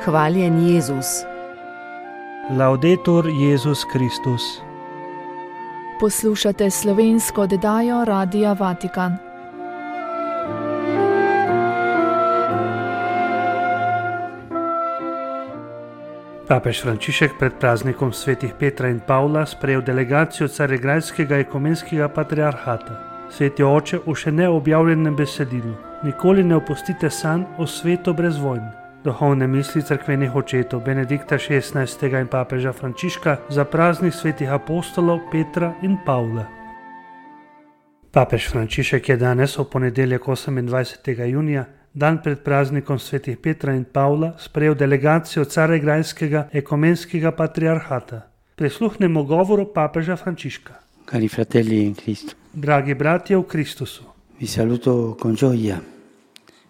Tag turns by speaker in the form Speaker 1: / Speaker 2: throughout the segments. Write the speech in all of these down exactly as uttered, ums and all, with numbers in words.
Speaker 1: Hvaljen Jezus.
Speaker 2: Laudetur Jezus Kristus.
Speaker 3: Poslušate slovensko oddajo Radia Vatikan.
Speaker 2: Papež Frančišek pred praznikom svetih Petra in Pavla sprejel delegacijo Carigrajskega ekumenskega patriarhata. Sveti oče v še neobjavljenem besedilu: nikoli ne opustite sanj o svetu brez vojn. Duhovne misli cerkvenih očetov Benedikta šestnajstega in papeža Frančiška za praznik svetih apostolov Petra in Pavla. Papež Frančišek je danes v ponedeljek osemindvajsetega junija, dan pred praznikom svetih Petra in Pavla, sprejel delegacijo Carigrajskega ekumenskega patriarhata. Prisluhnemo govoru papeža Frančiška.
Speaker 4: Cari fratelli in Cristo.
Speaker 2: Dragi bratje v Kristusu.
Speaker 4: Vi saluto con gioia.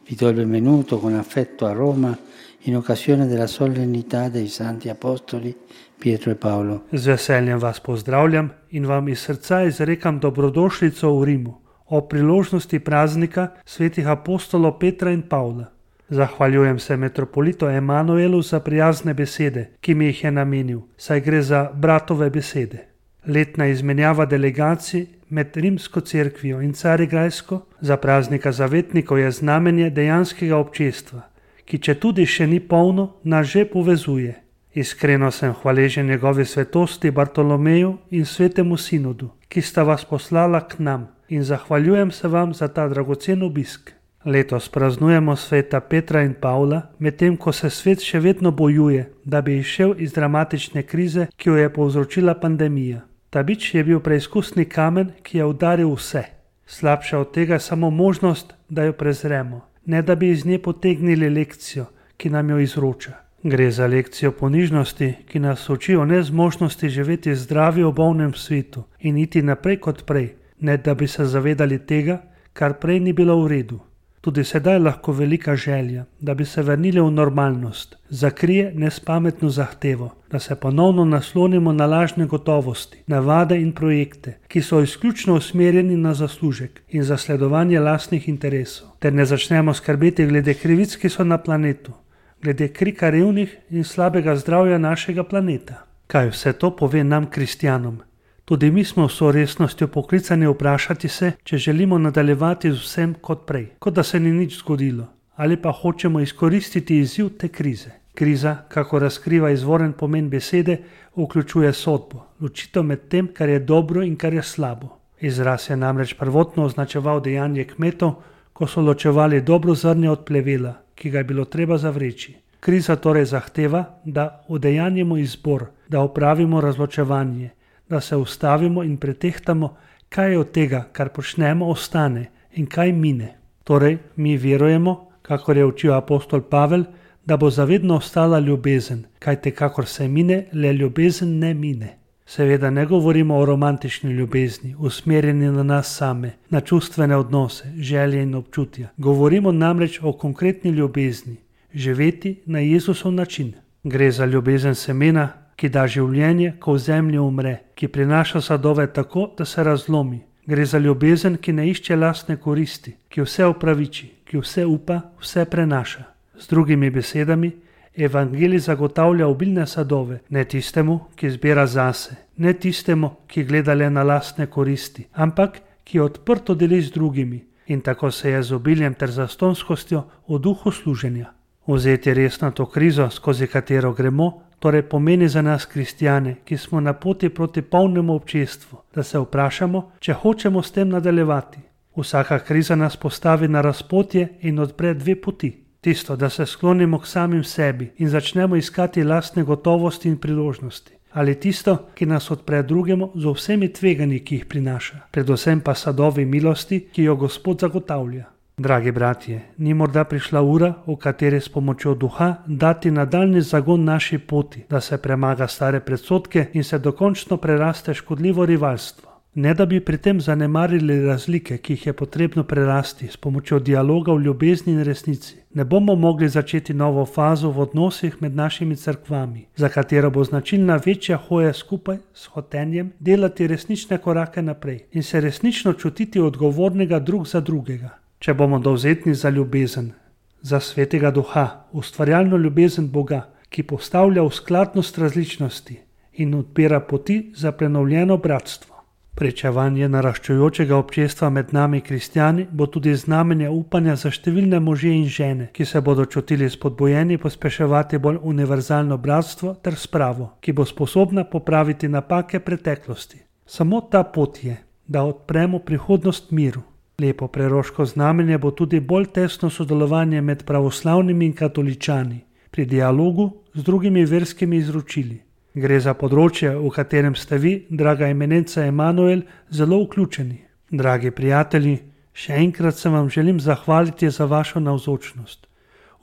Speaker 4: Vi do il benvenuto con affetto a Roma in occasione della solennità dei santi apostoli Pietro e Paolo.
Speaker 2: Z veseljem vas pozdravljam in vam iz srca izrekam dobrodošlico v Rimu o priložnosti praznika svetih apostolov Petra in Pavla. Zahvaljujem se metropolitu Emanuelu za prijazne besede, ki mi jih je namenil, saj gre za bratove besede. Letna izmenjava delegacij med Rimsko cerkvijo in Carigrajsko za praznika zavetnikov je znamenje dejanskega občestva, ki četudi še ni polno, nas že povezuje. Iskreno sem hvaležen njegovi svetosti Bartolomeju in svetemu sinodu, ki sta vas poslala k nam, in zahvaljujem se vam za ta dragocen obisk. Letos praznujemo sveta Petra in Pavla, medtem ko se svet še vedno bojuje, da bi izšel iz dramatične krize, ki jo je povzročila pandemija. Ta bič je bil preizkusni kamen, ki je udaril vse. Slabša od tega je samo možnost, da jo prezremo, ne da bi iz nje potegnili lekcijo, ki nam jo izroča. Gre za lekcijo ponižnosti, ki nas uči o nezmožnosti živeti zdravi v bolnem svetu in iti naprej kot prej, ne da bi se zavedali tega, kar prej ni bilo v redu. Tudi sedaj lahko velika želja, da bi se vrnili v normalnost, zakrije nespametno zahtevo, da se ponovno naslonimo na lažne gotovosti, navade in projekte, ki so izključno usmerjeni na zaslužek in zasledovanje lastnih interesov, ter ne začnemo skrbeti glede krivic, ki so na planetu, glede krika revnih in slabega zdravja našega planeta. Kaj vse to pove nam, kristjanom? Tudi mi smo vso resnostjo poklicani vprašati se, če želimo nadaljevati z vsem kot prej, kot da se ni nič zgodilo, ali pa hočemo izkoristiti izziv te krize. Kriza, kako razkriva izvoren pomen besede, vključuje sodbo, ločitev med tem, kar je dobro in kar je slabo. Izraz je namreč prvotno označeval dejanje kmetov, ko so ločevali dobro zrnje od plevela, ki ga je bilo treba zavreči. Kriza torej zahteva, da udejanjimo izbor, da opravimo razločevanje, da se ustavimo in pretehtamo, kaj od tega, kar počnemo, ostane in kaj mine. Torej, mi verujemo, kakor je učil apostol Pavel, da bo zavedno ostala ljubezen, kajte kakor se mine, le ljubezen ne mine. Seveda ne govorimo o romantični ljubezni, usmerjeni na nas same, na čustvene odnose, želje in občutja. Govorimo namreč o konkretni ljubezni, živeti na Jezusov način. Gre za ljubezen semena, ki da življenje, ko v zemlji umre, ki prinaša sadove tako, da se razlomi. Gre za ljubezen, ki ne išče lastne koristi, ki vse opraviči, ki vse upa, vse prenaša. Z drugimi besedami, evangelij zagotavlja obilne sadove, ne tistemu, ki zbira zase, ne tistemu, ki gleda le na lastne koristi, ampak ki odprto deli z drugimi in tako se je z obiljem ter zastonskostjo v duhu služenja. Vzeti resno to krizo, skozi katero gremo, torej pomeni za nas kristjane, ki smo na poti proti polnemu občestvu, da se vprašamo, če hočemo s tem nadaljevati. Vsaka kriza nas postavi na razpotje in odpre dve poti. Tisto, da se sklonimo k samim sebi in začnemo iskati lastne gotovosti in priložnosti. Ali tisto, ki nas odpre drugemu z vsemi tveganji, ki jih prinaša. Predvsem pa sadovi milosti, ki jo Gospod zagotavlja. Dragi bratje, ni morda prišla ura, v kateri s pomočjo duha dati nadaljni zagon naši poti, da se premaga stare predsodke in se dokončno preraste škodljivo rivalstvo. Ne da bi pri tem zanemarili razlike, ki jih je potrebno prerasti s pomočjo dialoga v ljubezni in resnici. Ne bomo mogli začeti novo fazo v odnosih med našimi cerkvami, za katero bo značilna večja hoja skupaj s hotenjem delati resnične korake naprej in se resnično čutiti odgovornega drug za drugega. Če bomo dovzetni za ljubezen, za svetega duha, ustvarjalno ljubezen Boga, ki postavlja v skladnost različnosti in odpira poti za prenovljeno bratstvo. Pričevanje naraščajočega občestva med nami kristjani bo tudi znamenje upanja za številne može in žene, ki se bodo čutili spodbujeni pospeševati bolj univerzalno bratstvo ter spravo, ki bo sposobna popraviti napake preteklosti. Samo ta pot je, da odpremo prihodnost miru. Lepo preroško znamenje bo tudi bolj tesno sodelovanje med pravoslavnimi in katoličani pri dialogu z drugimi verskimi izročili. Gre za področje, v katerem ste vi, draga eminenca Emanuel, zelo vključeni. Dragi prijatelji, še enkrat se vam želim zahvaliti za vašo navzočnost.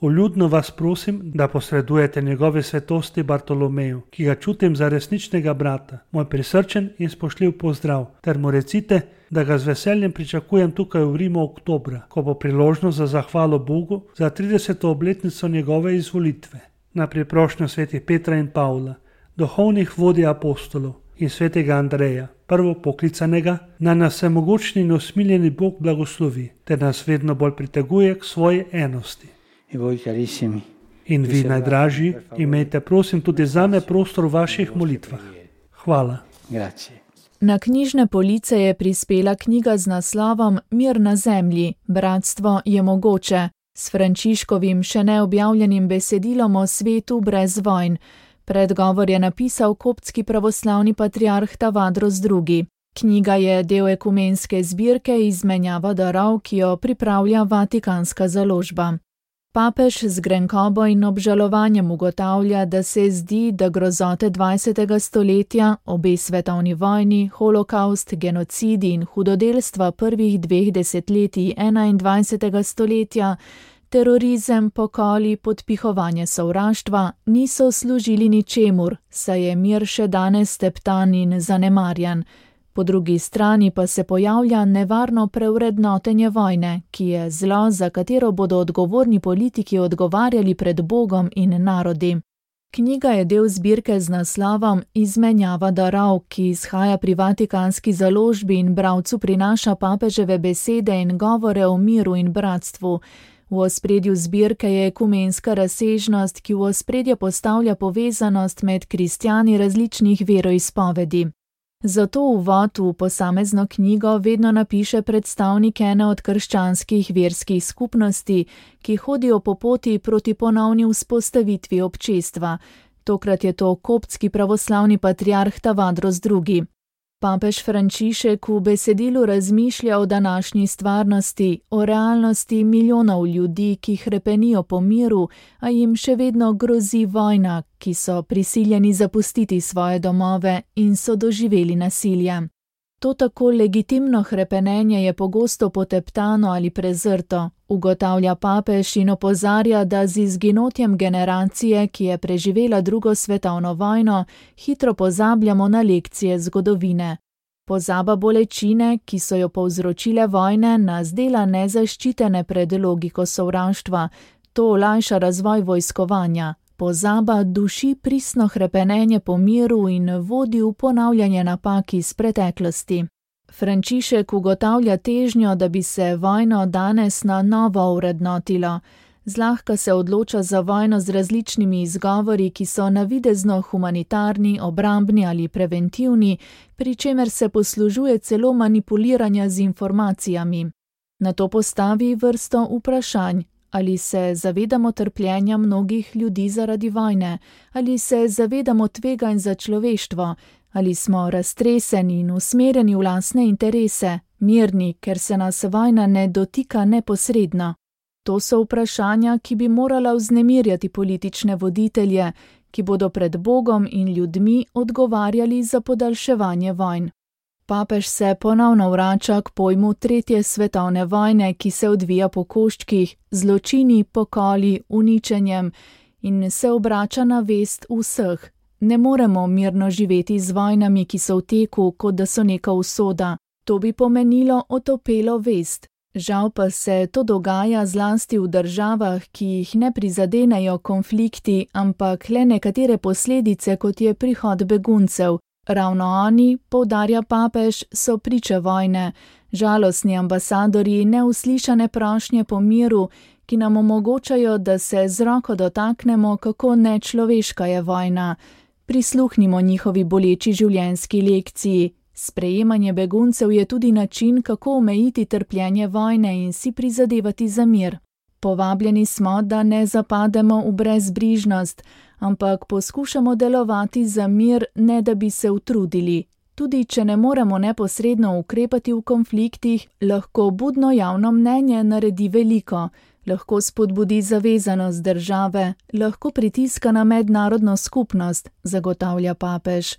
Speaker 2: Vljudno vas prosim, da posredujete njegove svetosti Bartolomeju, ki ga čutim za resničnega brata, moj prisrčen in spoštljiv pozdrav, ter mu recite, da ga z veseljem pričakujem tukaj v Rimu oktobra, ko bo priložnost za zahvalo Bogu za trideseto obletnico njegove izvolitve. Na priprošnjo svetih Petra in Pavla, duhovnih vodij apostolov in svetega Andreja, prvo poklicanega, naj nas vsemogočni in usmiljeni Bog blagoslovi, ter nas vedno bolj priteguje k svoji enosti. In vi, najdražji, imejte prosim tudi zame prostor v vaših molitvah. Hvala.
Speaker 3: Na knjižne police je prispela knjiga z naslovom Mir na zemlji, bratstvo je mogoče, s Frančiškovim še neobjavljenim besedilom o svetu brez vojn. Predgovor je napisal koptski pravoslavni patriarh Tavadros drugi. Knjiga je del ekumenske zbirke Izmenjava darov, ki jo pripravlja Vatikanska založba. Papež z grenkobo in obžalovanjem ugotavlja, da se zdi, da grozote dvajsetega stoletja, obe svetovni vojni, holokaust, genocidi in hudodelstva prvih dveh desetletij enaindvajsetega stoletja, terorizem, pokoli, podpihovanje sovraštva niso služili ničemur, saj je mir še danes steptan in zanemarjan. Po drugi strani pa se pojavlja nevarno preurednotenje vojne, ki je zlo, za katero bodo odgovorni politiki odgovarjali pred Bogom in narodi. Knjiga je del zbirke z naslovom Izmenjava darov, ki izhaja pri Vatikanski založbi in bralcu prinaša papeževe besede in govore o miru in bratstvu. V ospredju zbirke je ekumenska razsežnost, ki v ospredje postavlja povezanost med kristjani različnih veroizpovedi. Zato uvod v posamezno knjigo vedno napiše predstavnik ene od krščanskih verskih skupnosti, ki hodijo po poti proti ponovni vzpostavitvi občestva. Tokrat je to koptski pravoslavni patriarh Tavadros drugi. Papež Frančišek v besedilu razmišlja o današnji stvarnosti, o realnosti milijonov ljudi, ki hrepenijo po miru, a jim še vedno grozi vojna, ki so prisiljeni zapustiti svoje domove in so doživeli nasilje. To tako legitimno hrepenenje je pogosto poteptano ali prezrto, ugotavlja papež in opozarja, da z izginotjem generacije, ki je preživela drugo svetovno vojno, hitro pozabljamo na lekcije zgodovine. Pozaba bolečine, ki so jo povzročile vojne, nas dela nezaščitene pred logiko sovraštva, to olajša razvoj vojskovanja. Pozaba duši pristno hrepenenje po miru in vodi v ponavljanje napak iz preteklosti. Frančišek ugotavlja težnjo, da bi se vojno danes na novo vrednotilo. Zlahka se odloča za vojno z različnimi izgovori, ki so navidezno humanitarni, obrambni ali preventivni, pri čemer se poslužuje celo manipuliranja z informacijami. Nato postavi vrsto vprašanj. Ali se zavedamo trpljenja mnogih ljudi zaradi vojne? Ali se zavedamo tveganj za človeštvo? Ali smo raztreseni in usmerjeni v lastne interese, mirni, ker se nas vojna ne dotika neposredno? To so vprašanja, ki bi morala vznemirjati politične voditelje, ki bodo pred Bogom in ljudmi odgovarjali za podaljševanje vojn. Papež se ponovno vrača k pojmu tretje svetovne vojne, ki se odvija po koščkih, zločini, pokoli, uničenjem in se obrača na vest vseh. Ne moremo mirno živeti z vojnami, ki so v teku, kot da so neka usoda. To bi pomenilo otopelo vest. Žal pa se to dogaja zlasti v državah, ki jih ne prizadenejo konflikti, ampak le nekatere posledice, kot je prihod beguncev. Ravno oni, poudarja papež, so priče vojne, žalostni ambasadorji neuslišane prošnje po miru, ki nam omogočajo, da se z roko dotaknemo, kako nečloveška je vojna. Prisluhnimo njihovi boleči življenjski lekciji. Sprejemanje beguncev je tudi način, kako omejiti trpljenje vojne in si prizadevati za mir. Povabljeni smo, da ne zapademo v brezbrižnost, ampak poskušamo delovati za mir, ne da bi se utrudili. Tudi če ne moremo neposredno ukrepati v konfliktih, lahko budno javno mnenje naredi veliko, lahko spodbudi zavezanost države, lahko pritiska na mednarodno skupnost, zagotavlja papež.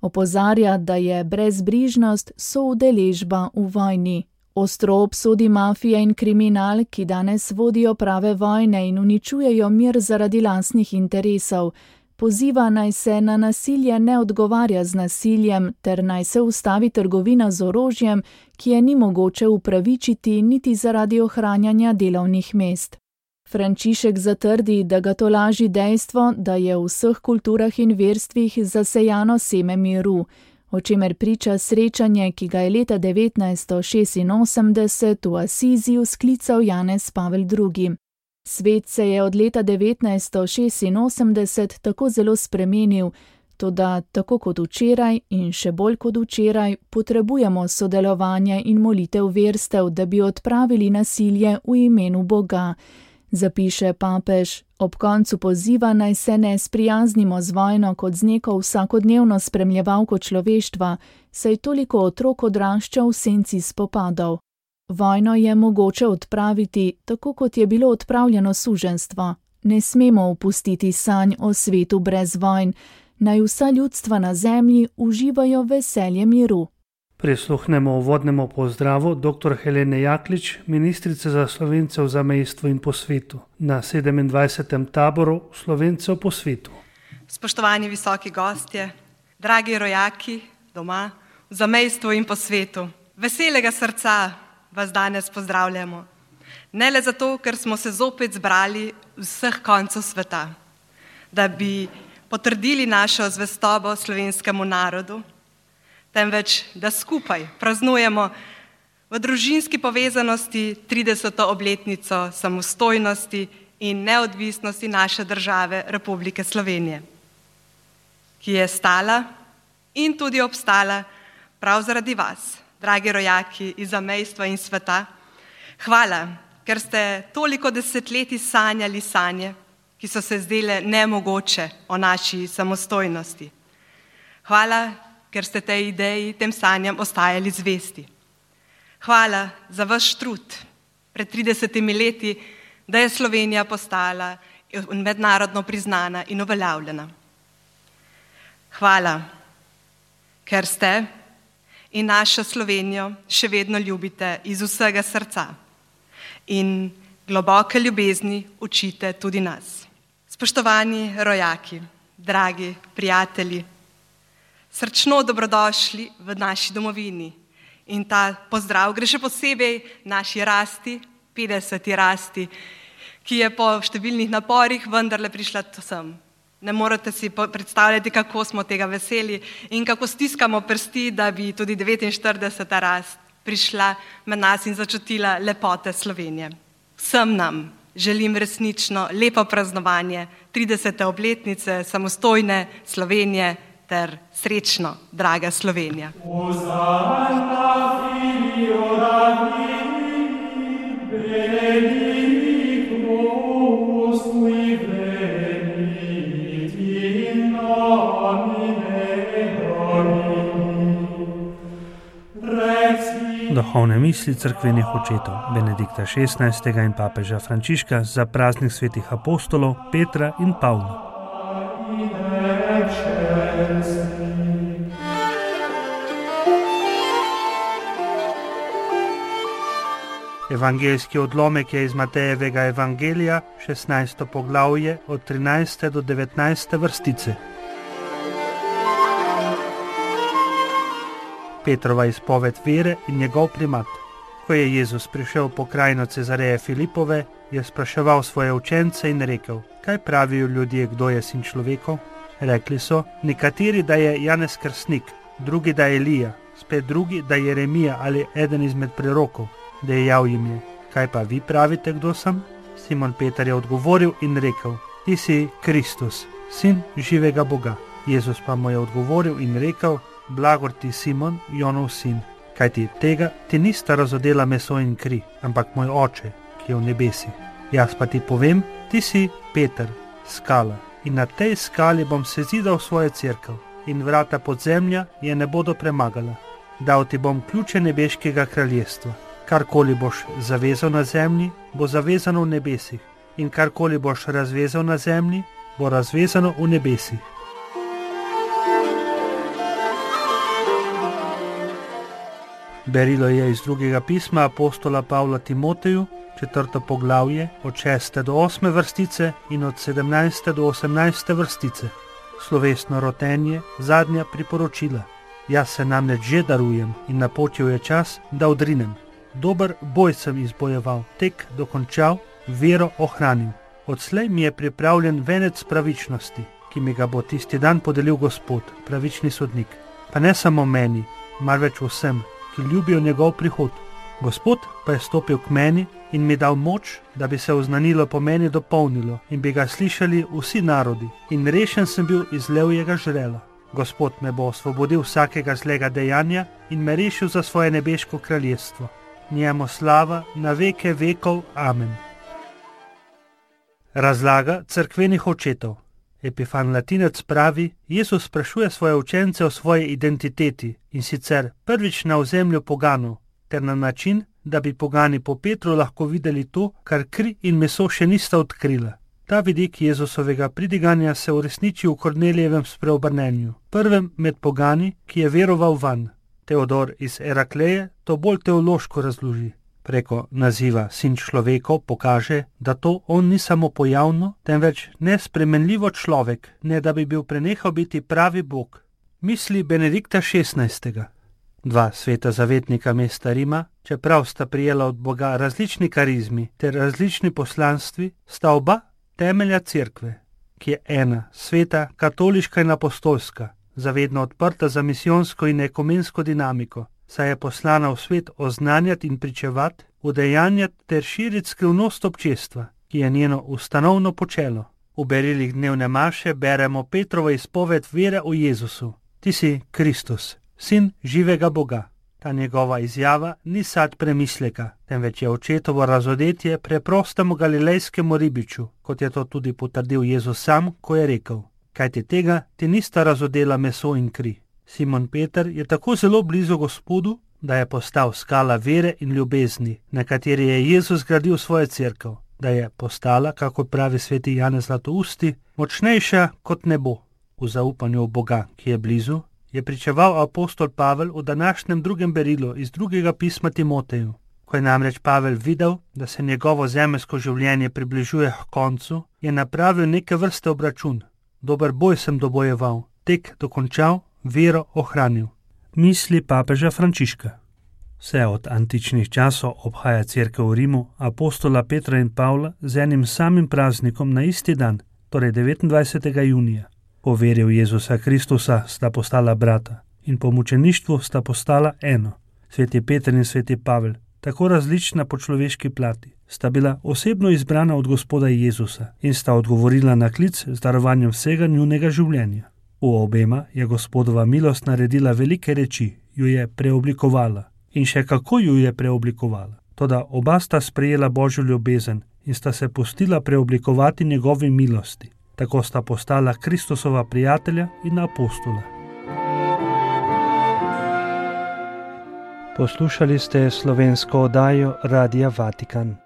Speaker 3: Opozarja, da je brezbrižnost soudeležba v vojni. Ostro obsodi mafije in kriminal, ki danes vodijo prave vojne in uničujejo mir zaradi lastnih interesov. Poziva naj se na nasilje ne odgovarja z nasiljem, ter naj se ustavi trgovina z orožjem, ki je ni mogoče upravičiti niti zaradi ohranjanja delovnih mest. Frančišek zatrdi, da ga tolaži dejstvo, da je v vseh kulturah in verstvih zasejano seme miru, o čemer priča srečanje, ki ga je leta devetnajststo šestinosemdeset v Asiziju sklical Janez Pavel drugi. Svet se je od leta devetnajststo šestinosemdeset tako zelo spremenil, toda tako kot včeraj in še bolj kot včeraj potrebujemo sodelovanje in molitev verstev, da bi odpravili nasilje v imenu Boga. Zapiše papež, ob koncu poziva naj se ne sprijaznimo z vojno kot z neko vsakodnevno spremljevalko človeštva, saj toliko otrok odrašča v senci spopadov. Vojno je mogoče odpraviti, tako kot je bilo odpravljeno suženjstvo. Ne smemo opustiti sanj o svetu brez vojn, naj vsa ljudstva na zemlji uživajo veselje miru.
Speaker 2: Prisluhnemo uvodnemu pozdravu dr. Helene Jaklič, ministrice za Slovence v zamejstvu in po svetu, na sedemindvajsetem taboru Slovencev po svetu.
Speaker 1: Spoštovani visoki gostje, dragi rojaki doma, v zamejstvu in po svetu, veselega srca vas danes pozdravljamo. Ne le zato, ker smo se zopet zbrali vseh koncev sveta, da bi potrdili našo zvestobo slovenskemu narodu, temveč da skupaj praznujemo v družinski povezanosti trideseto obletnico samostojnosti in neodvisnosti naše države Republike Slovenije, ki je stala in tudi obstala prav zaradi vas, dragi rojaki iz zamejstva in sveta. Hvala, ker ste toliko desetletij sanjali sanje, ki so se zdele nemogoče o naši samostojnosti. Hvala, ker ste tej ideji, tem sanjam ostajali zvesti. Hvala za vaš trud pred tridesetimi leti, da je Slovenija postala mednarodno priznana in uveljavljena. Hvala, ker ste in našo Slovenijo še vedno ljubite iz vsega srca in globoke ljubezni učite tudi nas. Spoštovani rojaki, dragi prijatelji, srčno dobrodošli v naši domovini in ta pozdrav gre še posebej naši rasti, petdeseti rasti, ki je po številnih naporih vendarle prišla sem. Ne morete si predstavljati, kako smo tega veseli in kako stiskamo prsti, da bi tudi devetinštirideseta rast prišla med nas in začutila lepote Slovenije. Vsem nam želim resnično lepo praznovanje tridesete obletnice samostojne Slovenije ter srečno, draga Slovenija.
Speaker 2: Duhovne misli cerkvenih očetov Benedikta šestnajstega in papeža Frančiška za praznik svetih apostolov Petra in Pavla. Evangeljski odlomek je iz Matejevega evangelija, šestnajsto poglavje, od trinajste do devetnajste vrstice. Petrova izpoved vere in njegov primat. Ko je Jezus prišel po krajino Cezareje Filipove, je spraševal svoje učence in rekel: kaj pravijo ljudje, kdo je sin človekov? Rekli so, nekateri, da je Janez Krstnik, drugi, da je Elija, spet drugi, da je Jeremija ali eden izmed prerokov. Dejal jim je: kaj pa vi pravite, kdo sem? Simon Peter je odgovoril in rekel: Ti si Kristus, sin živega Boga. Jezus pa mu je odgovoril in rekel: Blagor ti, Simon, Jonov sin, kajti tega ti nista razodela meso in kri, ampak moj oče, ki je v nebesih. Jaz pa ti povem, ti si Peter, skala, in na tej skali bom sezidal svojo cerkev, in vrata podzemlja je ne bodo premagala. Dal ti bom ključe nebeškega kraljestva. Karkoli boš zavezal na zemlji, bo zavezano v nebesih, in karkoli boš razvezal na zemlji, bo razvezano v nebesih. Berilo je iz drugega pisma apostola Pavla Timoteju, četrto poglavje, od šeste do osme vrstice in od sedemnajste do osemnajste vrstice. Slovesno rotenje, zadnja priporočila. Jaz se namreč že darujem in napočil je čas, da odrinem. Dober boj sem izbojeval, tek dokončal, vero ohranil. Odslej mi je pripravljen venec pravičnosti, ki mi ga bo tisti dan podelil Gospod, pravični sodnik. Pa ne samo meni, marveč vsem, ki ljubijo njegov prihod. Gospod pa je stopil k meni in mi dal moč, da bi se oznanilo po meni dopolnilo in bi ga slišali vsi narodi, in rešen sem bil iz levjega žrela. Gospod me bo osvobodil vsakega zlega dejanja in me rešil za svoje nebeško kraljestvo. Njemu slava na veke vekov. Amen. Razlaga cerkvenih očetov. Epifan Latinec pravi, Jezus sprašuje svoje učence o svoji identiteti, in sicer prvič na ozemlju poganov, ter na način, da bi pogani po Petru lahko videli to, kar kri in meso še nista odkrila. Ta vidik Jezusovega pridiganja se uresniči v Kornelijevem spreobrnenju, prvem med pogani, ki je veroval vanj. Teodor iz Erakleje to bolj teološko razloži. Preko naziva sin človekov pokaže, da to on ni samo pojavno, temveč nespremenljivo človek, ne da bi bil prenehal biti pravi Bog. Misli Benedikta šestnajstega. Dva sveta zavetnika mesta Rima, čeprav sta prijela od Boga različni karizmi ter različni poslanstvi, sta oba temelja cerkve, ki je ena, sveta, katoliška in apostolska, zavedno odprta za misijonsko in ekumensko dinamiko, saj je poslana v svet oznanjati in pričevati, udejanjati ter širiti skrivnost občestva, ki je njeno ustanovno počelo. V berilih dnevne maše beremo Petrovo izpoved vere v Jezusu. Ti si Kristus, sin živega Boga. Ta njegova izjava ni sad premisleka, temveč je očetovo razodetje preprostemu galilejskemu ribiču, kot je to tudi potrdil Jezus sam, ko je rekel: Kajti tega ti nista razodela meso in kri. Simon Peter je tako zelo blizu Gospodu, da je postal skala vere in ljubezni, na kateri je Jezus gradil svojo cerkev, da je postala, kako pravi sveti Janez Zlatousti, močnejša kot nebo. V zaupanju v Boga, ki je blizu, je pričeval apostol Pavel v današnjem drugem berilu iz drugega pisma Timoteju. Ko je namreč Pavel videl, da se njegovo zemeljsko življenje približuje k koncu, je napravil neke vrste obračun. Dober boj sem dobojeval, tek dokončal, vero ohranil. Misli papeža Frančiška. Vse od antičnih časov obhaja cerkev v Rimu apostola Petra in Pavla z enim samim praznikom na isti dan, torej devetindvajsetega junija. Po veri v Jezusa Kristusa sta postala brata in po mučeništvu sta postala eno. Sveti Peter in sveti Pavel, tako različna po človeški plati, sta bila osebno izbrana od Gospoda Jezusa in sta odgovorila na klic z darovanjem vsega njunega življenja. V obema je Gospodova milost naredila velike reči, jo je preoblikovala in še kako jo je preoblikovala. Toda oba sta sprejela Božjo ljubezen in sta se pustila preoblikovati njegovi milosti. Tako sta postala Kristusova prijatelja in apostola. Poslušali ste slovensko oddajo Radia Vatikan.